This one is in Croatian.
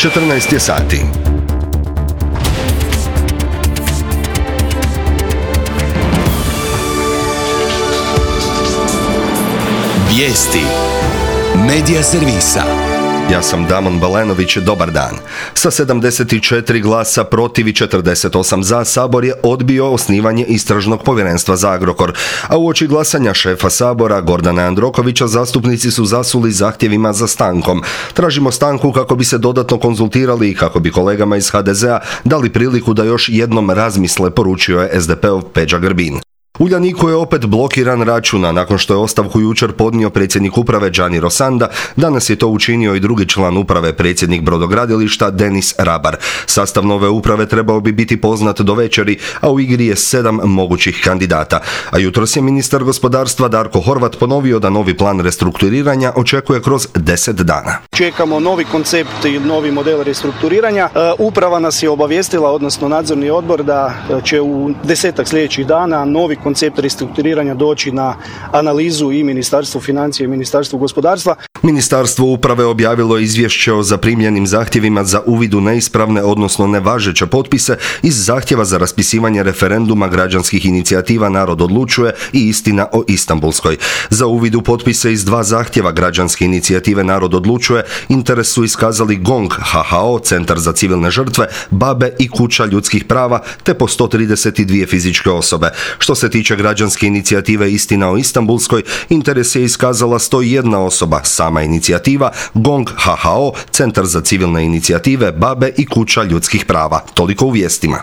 14 je sati. Vijesti Medija servisa. Ja sam Damon Balenović, dobar dan. Sa 74 glasa protiv i 48 za, Sabor je odbio osnivanje Istražnog povjerenstva za Agrokor, a uoči glasanja šefa Sabora Gordana Jandrokovića zastupnici su zasuli zahtjevima za stankom. Tražimo stanku kako bi se dodatno konzultirali i kako bi kolegama iz HDZ-a dali priliku da još jednom razmisle, poručio je SDP-ov Peđa Grbin. Uljaniku je opet blokiran račun, a nakon što je ostavku jučer podnio predsjednik uprave Gianni Rossanda, danas je to učinio i drugi član uprave, predsjednik brodogradilišta Denis Rabar. Sastav nove uprave trebao bi biti poznat do večeri, a u igri je 7 mogućih kandidata. A jutros je ministar gospodarstva Darko Horvat ponovio da novi plan restrukturiranja očekuje kroz 10 dana. Čekamo novi koncept i novi model restrukturiranja. Uprava nas je obavijestila, odnosno nadzorni odbor, da će u 10 sljedećih dana novi koncept restrukturiranja doći na analizu i Ministarstvu financija i Ministarstvu gospodarstva. Ministarstvo uprave objavilo izvješće o zaprimljenim zahtjevima za uvid u neispravne, odnosno nevažeće potpise iz zahtjeva za raspisivanje referenduma građanskih inicijativa Narod odlučuje i Istina o Istanbulskoj. Za uvid u potpise iz 2 zahtjeva građanske inicijative Narod odlučuje interes su iskazali GONG, HHO, Centar za civilne žrtve, BaBe i Kuća ljudskih prava, te po 132 fizičke osobe. Što se tiče građanske inicijative Istina o Istanbulskoj, interes je iskazala 101 osoba, sama inicijativa, GONG, HHO, Centar za civilne inicijative, BaBe i Kuća ljudskih prava. Toliko u vijestima.